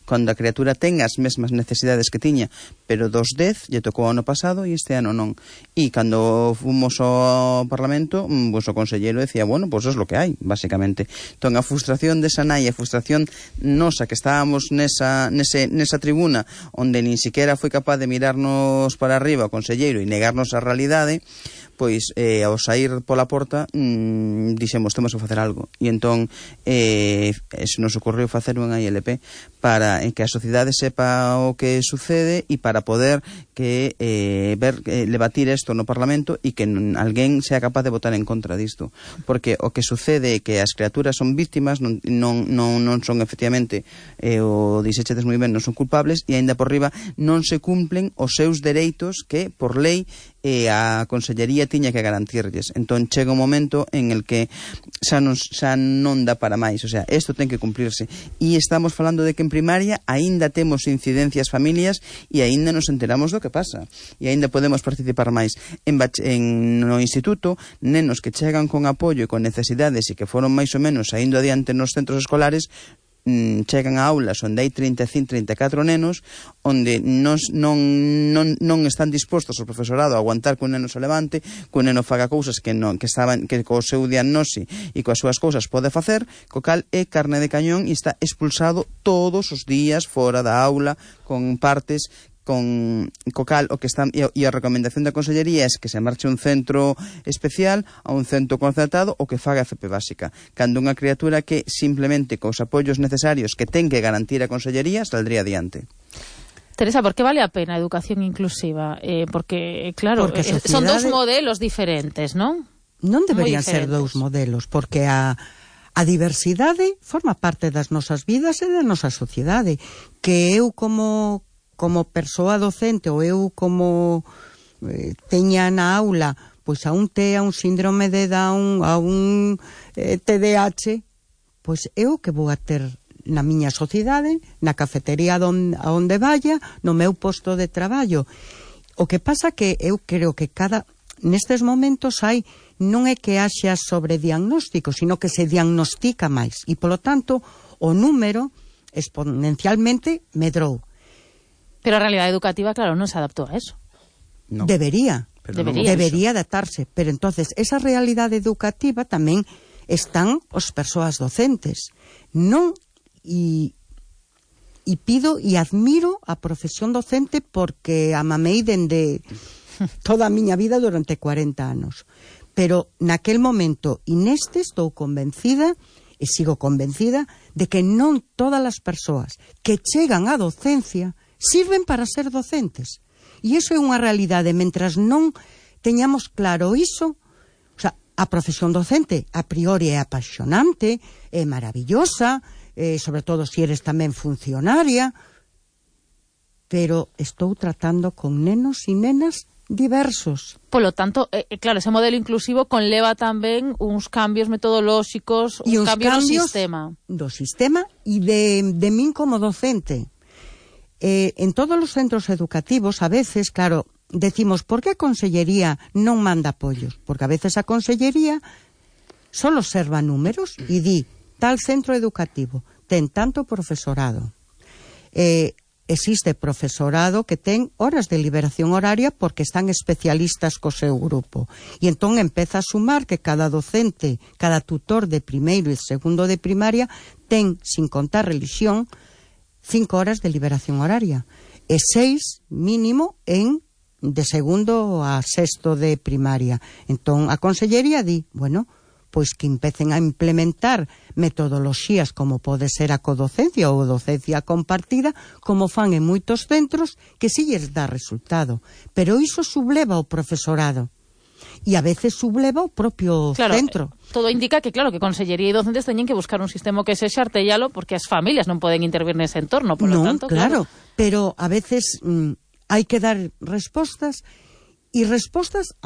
Cando a criatura ten as mesmas necesidades que tiña, pero dos 10 lle tocou o ano pasado e este ano non. E cando fomos ao Parlamento, pues o conselleiro decía, bueno, pues es lo que hai, basicamente. Entón, a frustración desa nai, a frustración nosa que estábamos nesa tribuna onde nin siquiera foi capaz de mirarnos para arriba o conselleiro e negarnos a realidade, pois ao sair pola porta dixemos, temos que facer algo, e entón se nos ocorreu facer unha ILP para que a sociedade sepa o que sucede e para poder debatir isto no Parlamento e que alguén sea capaz de votar en contra disto, porque o que sucede é que as criaturas son víctimas, non son efectivamente, o dixechedes moi ben, non son culpables, e aínda por riba non se cumplen os seus dereitos que por lei a Consellería tiña que garantirlles. Entón chega un momento en el que xa non dá para máis, o sea, isto ten que cumplirse, e estamos falando de que en primaria aínda temos incidencias familias e aínda nos enteramos do que pasa e aínda podemos participar máis. No instituto, nenos que chegan con apoio e con necesidades e que foron máis ou menos saindo adiante nos centros escolares, chegan a aulas onde hai 34 nenos, onde non están dispostos o profesorado a aguantar que un neno se levante, que un neno faga cousas que co seu diagnose e coas súas cousas pode facer, co cal é carne de cañón e está expulsado todos os días fora da aula con partes co cal o que está, e a recomendación da Consellería é que se marche un centro especial a un centro concertado ou que faga FP básica, cando unha criatura que simplemente cos apoios necesarios que ten que garantir a Consellería saldría adiante. Teresa, ¿por qué vale a pena a educación inclusiva? Porque, claro, son dos modelos diferentes, non? Non deberían ser dous modelos, porque a diversidade forma parte das nosas vidas e da nosa sociedade, que eu como persoa docente ou eu como teña na aula pois a un TEA, un síndrome de Down, a un TDAH, pois eu que vou a ter na miña sociedade, na cafetería a onde vaya, no meu posto de traballo. O que pasa que eu creo que nestes momentos non é que haxa sobrediagnóstico, sino que se diagnostica máis e polo tanto o número exponencialmente medrou. Pero a realidade educativa, claro, non se adaptou a eso. No. Debería adaptarse, pero entonces esa realidade educativa tamén están as persoas docentes. Non, e pido e admiro a profesión docente porque a mamei dende toda a miña vida durante 40 anos. Pero naquel momento e neste estou convencida e sigo convencida de que non todas as persoas que chegan á docencia sirven para ser docentes. E iso é unha realidade. Mentras non teñamos claro iso, o sea, a profesión docente a priori é apaixonante, é maravillosa, sobre todo se eres tamén funcionaria, pero estou tratando con nenos e nenas diversos. Polo tanto, claro, ese modelo inclusivo conleva tamén uns cambios metodolóxicos, uns cambios do sistema e de min como docente. En todos os centros educativos, a veces, claro, decimos, por que a Consellería non manda apoios? Porque a veces a Consellería só observa números e di, tal centro educativo ten tanto profesorado. Existe profesorado que ten horas de liberación horaria porque están especialistas co seu grupo. E entón empeza a sumar que cada docente, cada tutor de primeiro e segundo de primaria ten, sin contar religión, 5 horas de liberación horaria e 6 mínimo de segundo a sexto de primaria. Entón a Consellería di, bueno, pois que empecen a implementar metodoloxías como pode ser a codocencia ou docencia compartida, como fan en moitos centros, que si lles dá resultado. Pero iso subleva o profesorado. E a veces subleva o propio centro. Todo indica que, claro, que Consellería e docentes teñen que buscar un sistema que sexa artellalo porque as familias non poden intervir nese entorno, por lo tanto, claro. Pero a veces hai que dar respostas e respostas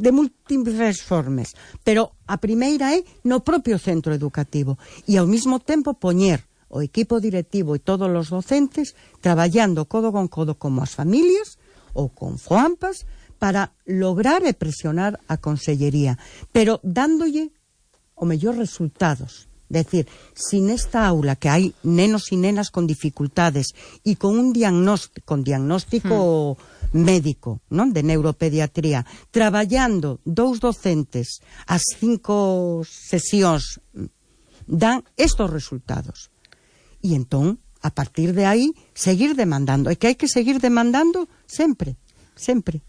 de múltiples formas. Pero a primeira é no propio centro educativo e ao mesmo tempo poñer o equipo directivo e todos os docentes traballando codo con codo como as familias ou con FOAMPAS para lograr e presionar a Consellería, pero dándolle o mellor resultados. Decir, si nesta aula que hai nenos e nenas con dificultades e con un diagnóstico médico, non, de neuropediatría, traballando 2 docentes as 5 sesións, dan estos resultados. E entón, a partir de aí, seguir demandando. E que hai que seguir demandando sempre. sempre.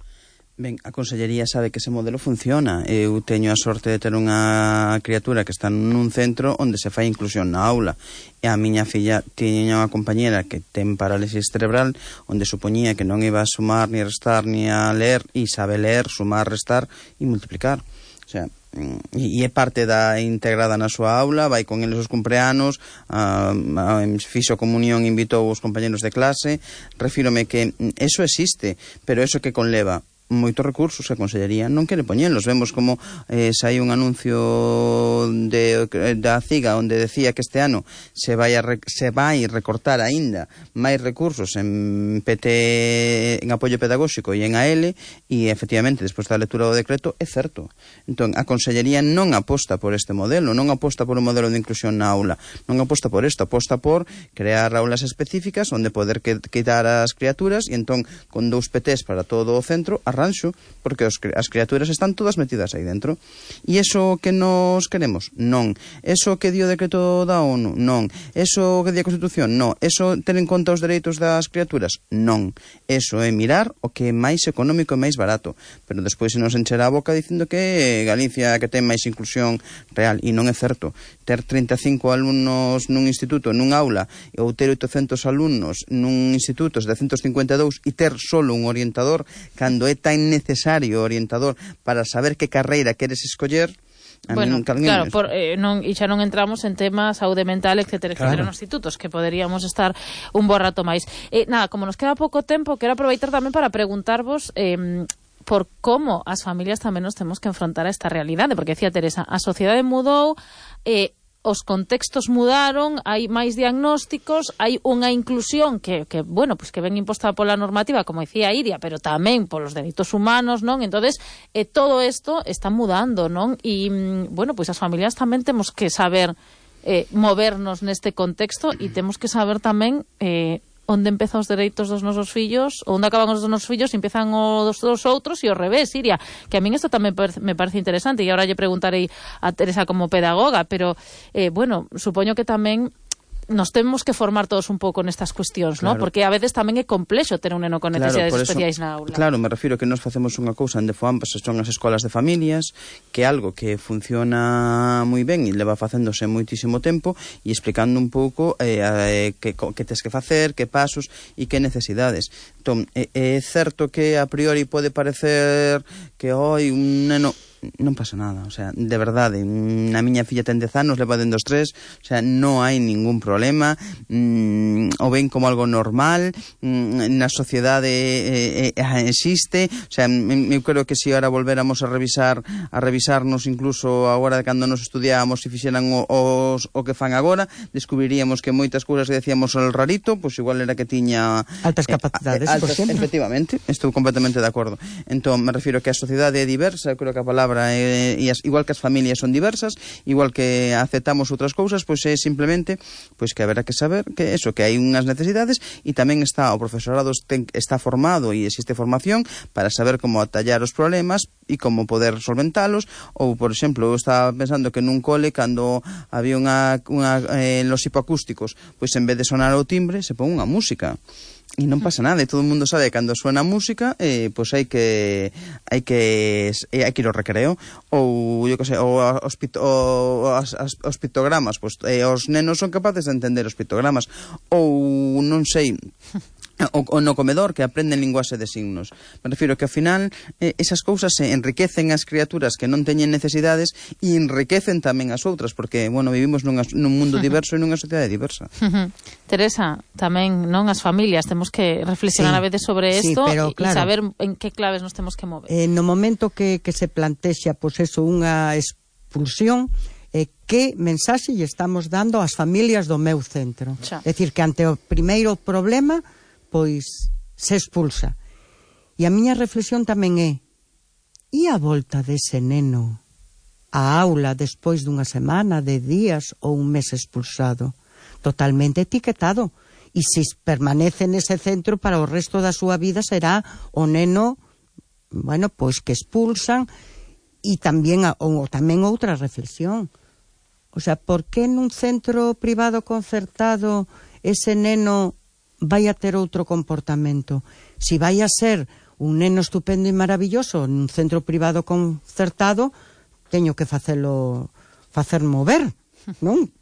Ben, a Consellería sabe que ese modelo funciona. Eu teño a sorte de ter unha criatura que está nun centro onde se fai inclusión na aula. E a miña filla tiña unha compañera que ten parálisis cerebral, onde supoñía que non iba a sumar, ni restar, ni a ler, e sabe ler, sumar, restar e multiplicar. O sea, e é parte da integrada na súa aula, vai con eles os cumpleanos, fixo comunión, invitou os compañeros de clase. Refírome que eso existe, pero eso que conleva moitos recursos que a Consellería non quere poñelos. Vemos como sai un anuncio da CIGA onde decía que este ano se vai recortar aínda máis recursos en PT, en apoio pedagóxico e en AL, e efectivamente despois da lectura do decreto é certo. Entón, a Consellería non aposta por este modelo, non aposta por un modelo de inclusión na aula, non aposta por isto, aposta por crear aulas específicas onde poder quitar as criaturas, e entón con 2 PTs para todo o centro arranxo, porque as criaturas están todas metidas aí dentro. E iso que nos queremos? Non. Eso que dio o decreto da ONU? Non. Eso que di a Constitución? Non. Eso ter en conta os dereitos das criaturas? Non. Eso é mirar o que é máis económico e máis barato. Pero despois se nos enchera a boca dicindo que Galicia que ten máis inclusión real, e non é certo. Ter 35 alumnos nun instituto, nun aula, ou ter 800 alumnos nun instituto de 152 e ter solo un orientador, cando é tan necesario o orientador para saber que carreira queres escoller. Bueno, claro, e xa non entramos en temas saúde mental, etcétera, etcétera, nos institutos, que poderíamos estar un bo rato máis. Nada, como nos queda pouco tempo, quero aproveitar tamén para preguntarvos por como as familias tamén nos temos que enfrontar a esta realidade, porque decía Teresa, a sociedade mudou, os contextos mudaron, hai máis diagnósticos, hai unha inclusión que bueno, pues que ven imposta pola normativa, como decía Iria, pero tamén polos dereitos humanos, non? Entonces, todo isto está mudando, non? E, bueno, pues as familias tamén temos que saber movernos neste contexto, e temos que saber tamén onde empezan os dereitos dos nosos fillos, onde acaban os dos nosos fillos e empezan os dos outros, e ao revés, Iria, que a min isto tamén me parece interesante, e agora lle preguntarei a Teresa como pedagoga, pero, bueno, supoño que tamén nos temos que formar todos un pouco nestas cuestións, claro, ¿no? Porque a veces tamén é complexo ter un neno con necesidades especiais na aula. Claro, me refiro que nos facemos unha cousa onde ambas son as escolas de familias, que é algo que funciona moi ben e leva facéndose moitísimo tempo, e explicando un pouco que tes que facer, que pasos e que necesidades. Entón, é certo que a priori pode parecer que hoy un neno... Non pasa nada, o sea, de verdade, a miña filla ten 10 anos, leva dentro dos 3, o sea, non hai ningún problema, o ven como algo normal, na sociedade existe, o sea, eu creo que se ahora volvéramos a revisarnos incluso agora de cando nos estudiábamos e fixeran o que fan agora, descubriríamos que moitas cousas que decíamos o rarito, pois igual era que tiña altas capacidades, por exemplo. Efectivamente, estou completamente de acordo. Entón, me refiro que a sociedade é diversa, creo que a palabra igual que as familias son diversas, igual que aceptamos outras cousas, pois é simplemente pois que haberá que saber que eso, que hai unhas necesidades, e tamén está o profesorado está formado e existe formación para saber como atallar os problemas e como poder solventalos. Ou, por exemplo, eu estaba pensando que nun cole, cando había los hipoacústicos, pois en vez de sonar o timbre se pon unha música. E non pasa nada, e todo o mundo sabe que cando suena música, pois hai que ir ao recreo, ou eu que sei, ou os pictogramas, pois os nenos son capaces de entender os pictogramas, ou non sei, o no comedor, que aprenden linguaxe de signos. Me refiro que ao final esas cousas se enriquecen as criaturas que non teñen necesidades e enriquecen tamén as outras, porque, bueno, vivimos nun mundo diverso e nunha sociedade diversa. Teresa, tamén, non, as familias temos que reflexionar a veces sobre isto, e claro, saber en que claves nos temos que mover. No momento que se plantexa, pois eso, unha expulsión, que mensaxe lle estamos dando ás familias do meu centro? É dicir, que ante o primeiro problema pois se expulsa. E a miña reflexión tamén é: e a volta dese neno á aula despois dunha semana, de días ou un mes expulsado? Totalmente etiquetado. E se permanece nese centro para o resto da súa vida será o neno, bueno, pois que expulsan. E tamén outra reflexión. O sea, por que nun centro privado concertado ese neno vai a ter outro comportamento? Si vai a ser un neno estupendo e maravilloso nun centro privado concertado, teño que facer mover, non?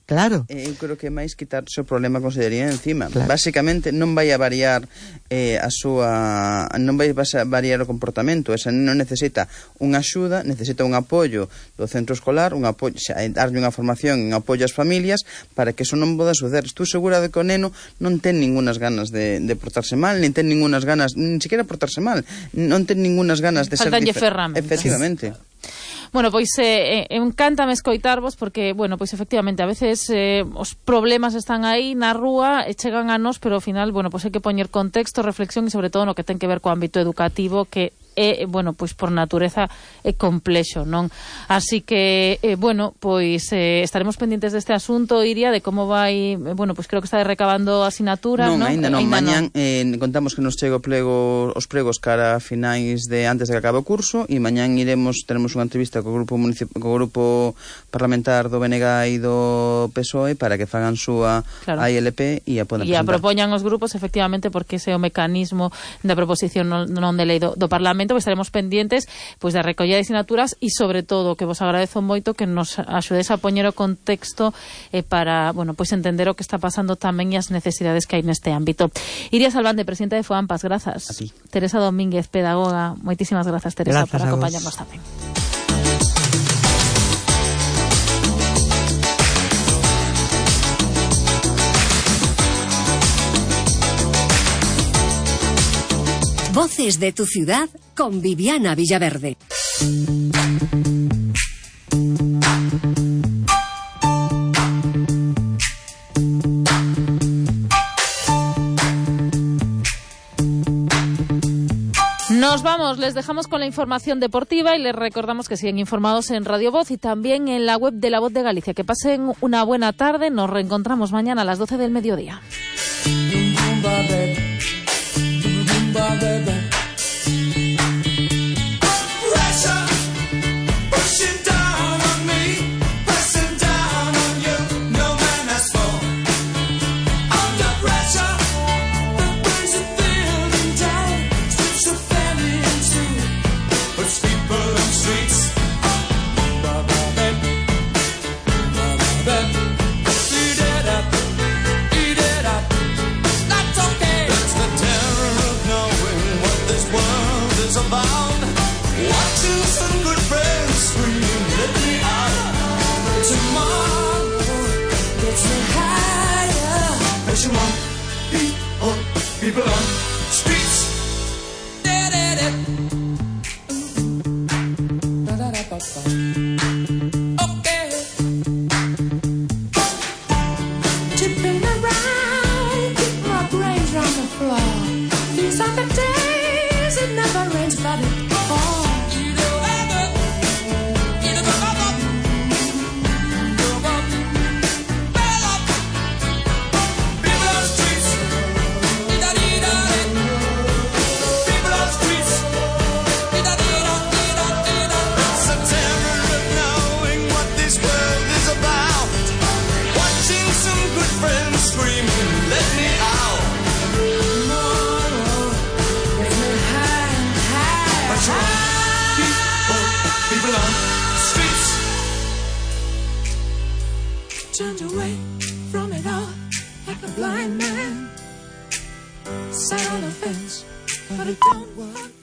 Claro. Eu creo que máis quitarse o problema a consellería encima. Claro. Básicamente non vai a variar non vai a variar o comportamento. Esa non necesita unha axuda, necesita un apoio do centro escolar, darlle unha formación, un apoio ás familias para que eso non poda suceder. Estou segura de que o neno non ten ningunas ganas de portarse mal, nin ten ningunas ganas, nin siquiera portarse mal, non ten ningunas ganas de ser diferente. Efectivamente. Bueno, pois encántame escoitarvos porque, bueno, pois efectivamente a veces os problemas están aí na rúa e chegan a nós, pero ao final, bueno, pois hai que poñer contexto, reflexión e sobre todo no que ten que ver co ámbito educativo que bueno, pois por natureza é complexo, non? Así que, bueno, pois estaremos pendientes deste asunto, Iria, de como vai, bueno, pois creo que está recabando asinaturas, non? Ainda non, mañán contamos que nos chega os pregos cara a finais de antes de que acabe o curso e mañán teremos unha entrevista co grupo parlamentar do BNG e do PSOE para que fagan súa AILP e a podan presentar. E a propoñan os grupos, efectivamente, porque ese é o mecanismo da proposición non de lei do Parlamento, pois estaremos pendientes pois da recollida de asignaturas e sobre todo que vos agradezo moito que nos axudes a poñer o contexto para, bueno, pois entender o que está pasando tamén e as necesidades que hai neste ámbito. Iria Salvante, presidenta de FOAMPAS, grazas. A ti. Teresa Domínguez, pedagoga, moitísimas grazas, Teresa, por acompañarnos tamén. Voces de tu ciudad con Viviana Villaverde. Nos vamos, les dejamos con la información deportiva y les recordamos que siguen informados en Radio Voz y también en la web de La Voz de Galicia. Que pasen una buena tarde, nos reencontramos mañana a las 12 del mediodía. People on streets. Okay. Tipping around, keep my brains on the floor. These are the days it never rains, but it falls. Turned away from it all like a blind man. Sat on a fence, but it don't work.